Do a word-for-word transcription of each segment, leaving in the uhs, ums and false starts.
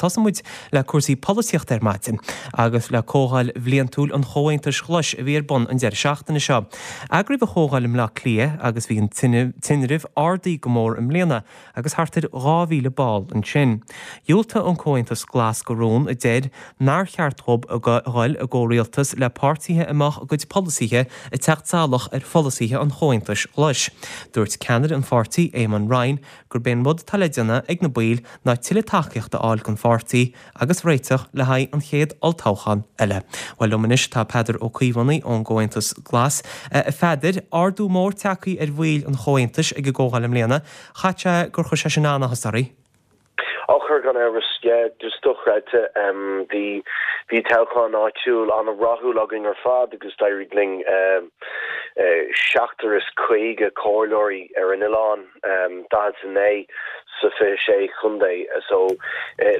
Tosaíonn muid le cúrsaí polaitíochta ar maidin agus le comhdháil bhliantúil an Chomhaontais Ghlais a bhí ar bun an deireadh seachtaine seo. Eagraíodh an chomhdháil i mBleá Cliath agus bhí an tinreamh ardaithe go mór i mbliana agus thart ar dhá mhíle ball ansin. Dhiúltaigh an Comhaontas Glas do rún a deir nár cheart dóibh a dhul i gcomhrialtas le páirtithe a mbeadh a gcuid polasaithe ag teacht salach ar pholasaithe an Chomhaontais Ghlais. Dúirt ceannaire an pháirtí, Eamon Ryan, gurb é an rud atá le déanamh ag na baill ná tuilleadh tacaíochta a fháil don pháirtí agus réiteach le haghaidh an chéad olltoghchán eile. Bhuel liom anois tá Peadar Ó Caomhánaigh ón gComhaontas Glas. A Pheadair, ardú mór tagtha ar bhaill an Chomhaontais ag an gcomhdháil i mbliana, chaithfeadh sé gur chuir sé sin an-áthas oraibh? Á chuir gan amhras, yeah, just dochreidte. Bhí bhí toghchán áitiúil an-rathúil againn ar fad agus d'éirigh linn seachtar is caoga comhairleoirí ar an oileán, daichead is a naoi sa fiche sé chontae. So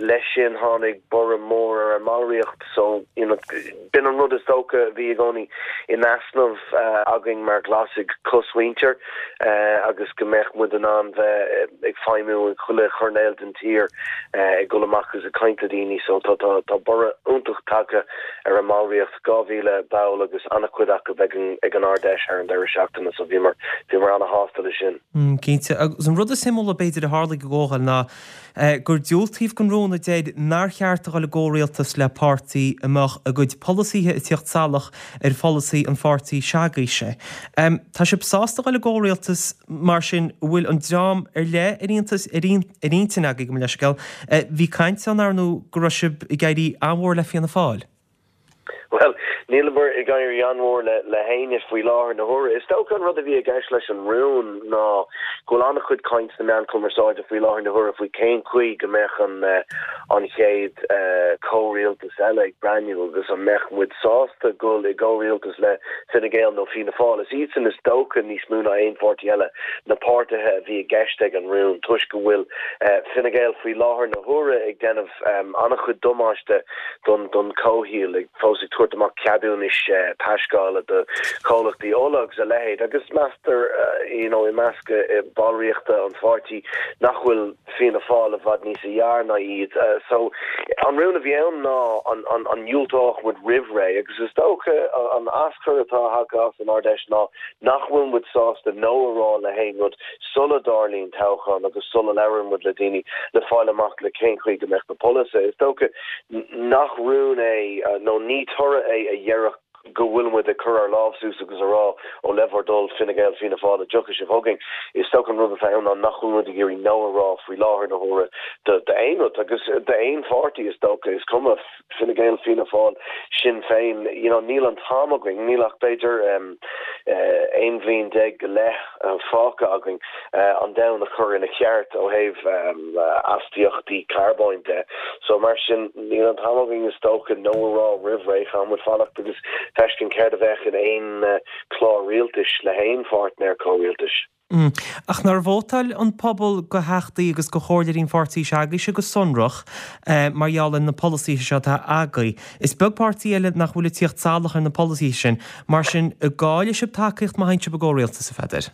leis sin tháinig borradh mór ar an mballraíocht so you know b'in an rud is dócha a bhí i gcónaí in easnamh againn mar Ghlasaigh, cosmhuintir agus go mbeadh muid in ann bheith ag feidhmiú in chuile choirnéal den tír ag dul amach agus ag caint le daoine so tá tá tá borradh iontach tagtha ar an mballraíocht dhá mhíle ball agus an-chuid acu ag an ag an Ard-Fheis thar an deireadh seachtaine so bhíomar bhíomar an-shásta leis sin. Cinnte agus an rud is suimiúla b'fhéidir a tharla ag an gcomhdháil ná gur diúltaíodh don rún a deir nár cheart a dhul i gcomhrialtas le páirtí a mbeadh a gcuid polasaithe ag tíocht salach ar pholasaí an pháirtí s'agaibhse. Tá sibh sásta a dhul i gcomhrialtas mar sin an bhfuil an dream ar leith ar iontas ar intinn agaibh go leisceal. Bhí caint ann ar ndóigh go raibh sibh ag éirí an-mhór le Fianna Fáil. Bhuel, nílimid ag éirí an-mhór le le héinne faoi láthair na huaire. Is dócha an rud a bhí i gceist leis an rún ná go bhfuil an-chuid caint sna meáin chumarsáide faoi láthair na huaire faoi cén chaoi go mbeadh an an chéad comhrialtas eile ag breathnú agus an mbeadh muid sásta dul i gcomhrialtas le Fine Gael nó Fianna Fáil. Is iadsan is dócha níos mó ná aon pháirtí eile na páirtithe a bhí i gceist ag an rún toisc go bhfuil Fine Gael faoi láthair na huaire ag déanamh an-chuid damáiste don don chomhshaol ag fós ag tabhairt amach ceadúnais taisceála do chomhlachtaí ola agus a leithéid agus meastar you know i measc ballraíochta an pháirtí nach bhfuil Fianna Fáil i bhfad níos fearr ná iad. So an rún a bhí ann ná an an an ndiúltódh muid roimh ré agus is dócha an aschur atá tagtha as an Ard-Fheis ná nach bhfuil muid sásta no a rá le haon rud sula dtarlaíonn toghchán agus sula labhrann muid le daoine le fáil amach le cén chaoi go mbeadh na polasaithe. Is dócha nach rún é nó ní toradh é a dhéarfadh go bhfuil muid ag cur ár lámh suas agus a rá ó le bhur dtoil Fine Gael Fianna Fáil an dtiocfaidh sibh chugainn. Is dócha an rud atá ann ná nach bhfuil muid ag iarraidh no a rá faoi láthair na huaire d'aon rud agus d'aon pháirtí is dócha is cuma Fine Gael Fianna Fáil Sinn Féin you know níl an t-am againn níl ach b'fhéidir um, uh, aon bhliain déag go leith uh, fágtha againn uh, an domhan a chur ina cheart ó thaobh um, astaíochtaí carbóin de. So mar sin níl an t-am againn is dócha no a rá roimh ré caithfidh muid fanacht agus feiscint céard a bheadh in aon uh, clár rialtais le haon pháirtnéir comhrialtais. Mm. Ach nár vótáil an pobal do theachtaí agus do chomhairleoirí an pháirtí s'agaibhse go sonrach eh, mar gheall ar na polasaithe seo atá agaibh. Is beag páirtí eile nach bhfuil ag tíocht salach ar na polasaithe sin, mar sin an gcaillfidh sibh tacaíocht má théann sibh i gcomhrialtas a Pheadair.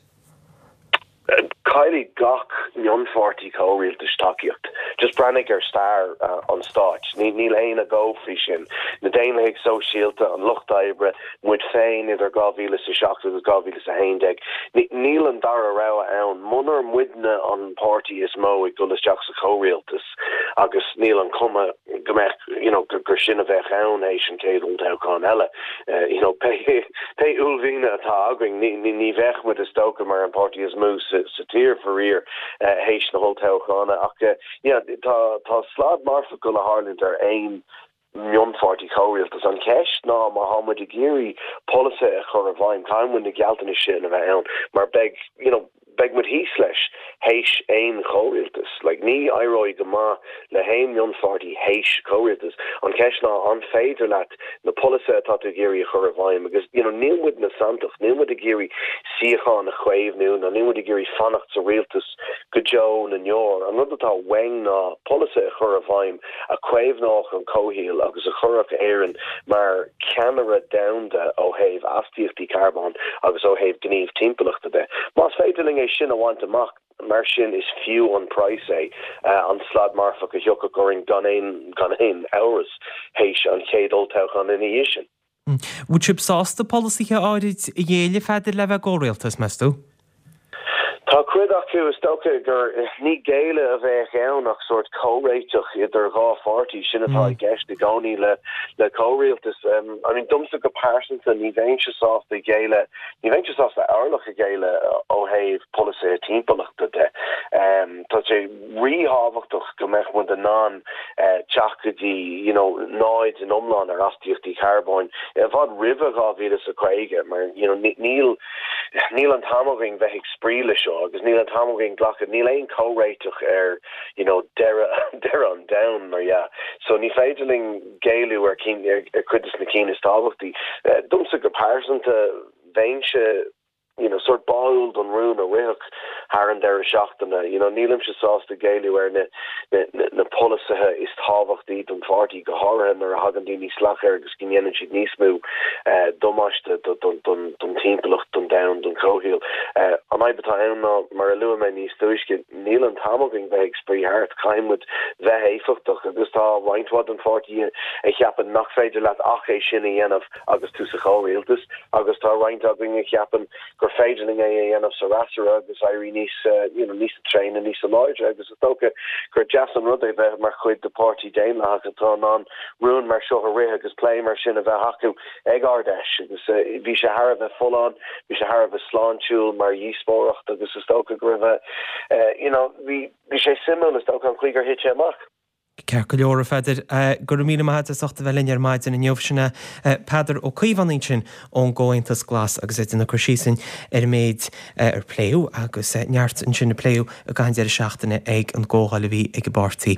Caillfidh gach mionpháirtí comhrialtais tacaíocht. Just breathnaigh ar stair uh, an stáit. Ní níl aon agó faoi sin. Na Daonlathaigh Sóisialta, an Lucht Oibre, muid féin idir dhá mhíle is a seacht agus dhá mhíle is a haon déag. Níl an dara rogha ann. Munar muidne an páirtí is mó ag dul isteach sa chomhrialtas agus níl an cuma go mbeadh you know, gur sin a bheadh ann théis an chéad olltoghchán eile. Uh, you know, pé pé uaillmhian atá againn ní, ní, ní bheadh muid is dócha mar an páirtí is mó sa, sa tír faraor uh, théis na holltoghchána ach uh, yeah, tá tá slad marfach le tarlúint ar aon mionpháirtí comhrialtas an cheist ná má tá muid ag iarraidh polasaithe a chur i bhfeidhm caithfidh na gealltanais sin a bheith ann mar beidh you know, beidh muid thíos leis théis aon chomhrialtas like ní éireoidh go maith le haon mionpháirtí théis comhrialtas an cheist ná an féidir leat na polasaithe atá tú ag iarraidh a chur i bhfeidhm agus you know níl muid na santach níl muid ag iarraidh suíochán a chaomhnú ná níl muid ag iarraidh fanacht sa rialtas go deo na ndeor an rud atá uainn ná polasaithe a chur i bhfeidhm a chaomhnódh an comhshaol agus a chuirfeadh Éirinn mar cheannaire domhanda ó thaobh astaíochtaí carbóin agus ó thaobh gníomh timpeallachta de. Más féidir linn é é sin a bhaint amach, mar sin is fiú an praghas é, an slad marfach a thiocfadh orainn gan aon gan aon amhras théis an chéad olltoghchán ina dhiaidh sin. Bhfuil sibh sásta polasaithe áirid a ghéilleadh, a Pheadair, le bheith i gcomhrialtas, meas tú? Tá cuid acu, is dócha gur ní géilleadh a bheadh ann ach sórt comhréiteach idir dhá pháirtí, sin atá i gceist i gcónaí le le comhrialtas. I mean domsa go pearsanta ní bheinnse sásta géilleadh, ní bheinnse sásta orlach a ghéilleadh ó thaobh polasaithe timpeallachta de. Tá sé ríthábhachtach go mbeadh muid in ann teacht go dtí you know náid in iomlán ar astaíochtaí carbóin i bhfad roimhe dhá mhíle is a caoga mar you know níl níl an t-am againn bheith ag spraoi le seo agus níl an t-am againn glacadh, níl aon comhréiteach ar you know deireadh deireadh an domhain mar dhea. So ní féidir linn géilleadh ar cinn ar cuid de na cinn is tábhachtaí. Domsa go pearsanta bheinnse you know sort báúil don rún a ritheadh thar an deireadh seachtaine. You know nílimse sásta géilleadh ar na na na polasaithe is tábhachtaí don pháirtí, go háirithe nuair a thagann daoine salach air agus go ndéanann siad níos mó damáiste don timpeallacht, don domhan, don chomhshaol. An fhadhb atá ann ná, mar a luaigh mé níos túisce, níl an t-am againn bheith ag spraoi thart, caithfidh muid bheith éifeachtach agus tá roinnt mhaith den pháirtí a cheapann nach féidir leat ach é sin a dhéanamh agus tú sa chomhrialtas agus tá roinnt againn a cheapann gur féidir linn é a dhéanamh sa fhreasúra agus éirí níos you know níos tréine, níos láidre agus is dócha gur deas an rud é bheith mar chuid de pháirtí daonlathach atá in ann rún mar seo a rith agus plé mar sin a bheith acu ag Ard-Fheis agus bhí sé thar a bheith folláin, bhí sé thar a bheith sláintiúil mar dhíospóireacht agus is dócha go raibh you know bhí bhí sé suimiúil is dócha an chaoi gur thit sé amach. Ceart go leor, a Pheadair. Go raibh míle maith agat as ucht a bheith linn ar maidin inniu. Sin é Peadar Ó Caomhánaigh ansin ón gComhaontas Glas agus é ag déanamh cur síos ar an méid ar pléadh agus neart ansin a pléadh i gcaitheamh an deireadh seachtaine ag an gcomhdháil a bhí ag an bpáirtí.